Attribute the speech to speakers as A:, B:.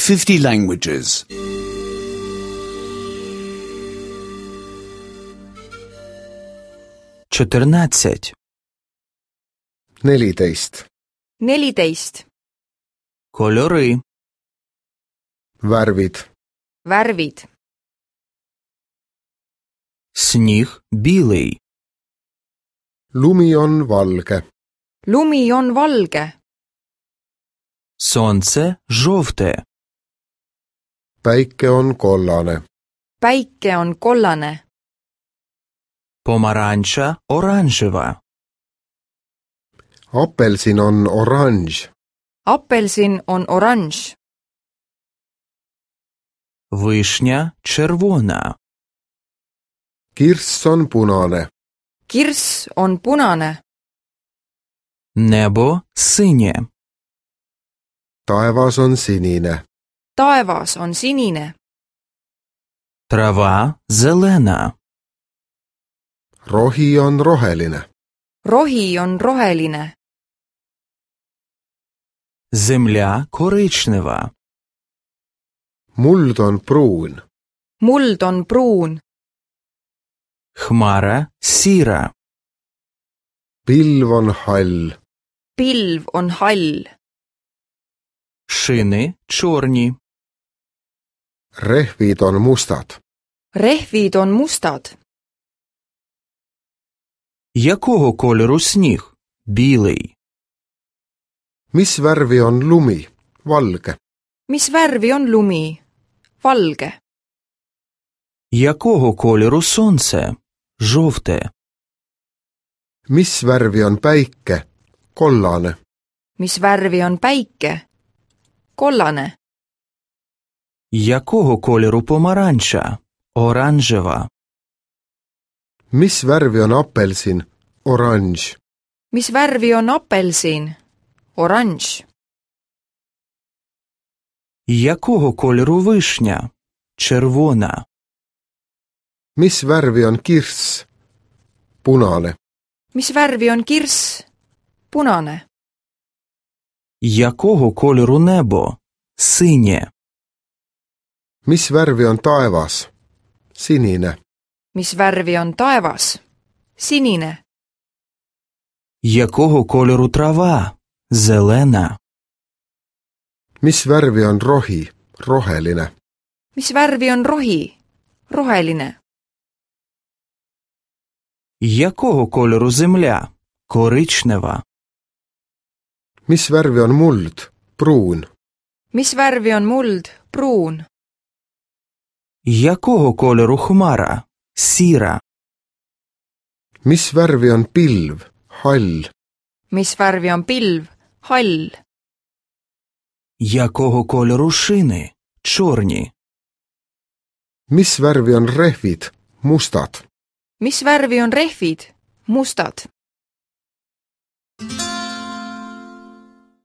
A: 50 languages.
B: 14.
C: 14.
D: 14.
B: Кольори.
C: Värvid.
D: Värvid.
B: Сніг білий.
C: Lumi on valge.
D: Lumi on valge.
B: Сонце жовте.
C: Päike on kollane.
D: Päike on kollane.
B: Помаранча оранжева.
C: Apelsin on oranž.
D: Apelsin on oranž.
B: Вишня червона.
C: Kirss on punane.
D: Kirss on punane.
B: Небо синє.
C: Taevas on sinine.
D: Taevas on sinine.
B: Трава зелена.
C: Rohi on roheline.
D: Rohi on roheline.
B: Земля коричнева.
C: Muld on pruun.
D: Muld on pruun.
B: Хмара сіра.
C: Pilv on hall.
D: Pilv on hall.
B: Шини чорні.
C: Rehvid on mustad.
D: Rehvid on mustad.
B: Якого кольору сніг? Білий.
C: Mis värvi on lumi? Valge.
D: Mis värvi on lumi? Valge.
B: Якого кольору сонце? Жовте.
C: Mis värvi on päike? Kollane.
D: Mis värvi on päike? Kollane.
B: Якого кольору помаранча? Оранжева.
C: Mis värvi on apelsin? Oranž.
D: Mis värvi on apelsin? Oranž.
B: Якого кольору вишня? Червона.
C: Mis värvi on kirss? Punane.
D: Mis värvi on kirss? Punane.
B: Якого кольору небо? Синє.
C: Mis värvi on taevas? Sinine.
D: Mis värvi on taevas? Sinine.
B: Якого кольору трава? Зелена.
C: Mis värvi on rohi? Roheline.
D: Mis värvi on rohi? Roheline.
B: Якого кольору земля? Коричнева.
C: Mis värvi on muld? Pruun.
D: Mis värvi on muld? Pruun.
B: Якого кольору хмара? Сіра.
C: Mis värvi on pilv? Hall.
D: Mis värvi on pilv? Hall.
B: Якого кольору шини? Чорні.
C: Mis värvi on rehvid? Mustad.
D: Mis värvi on rehvid? Mustad.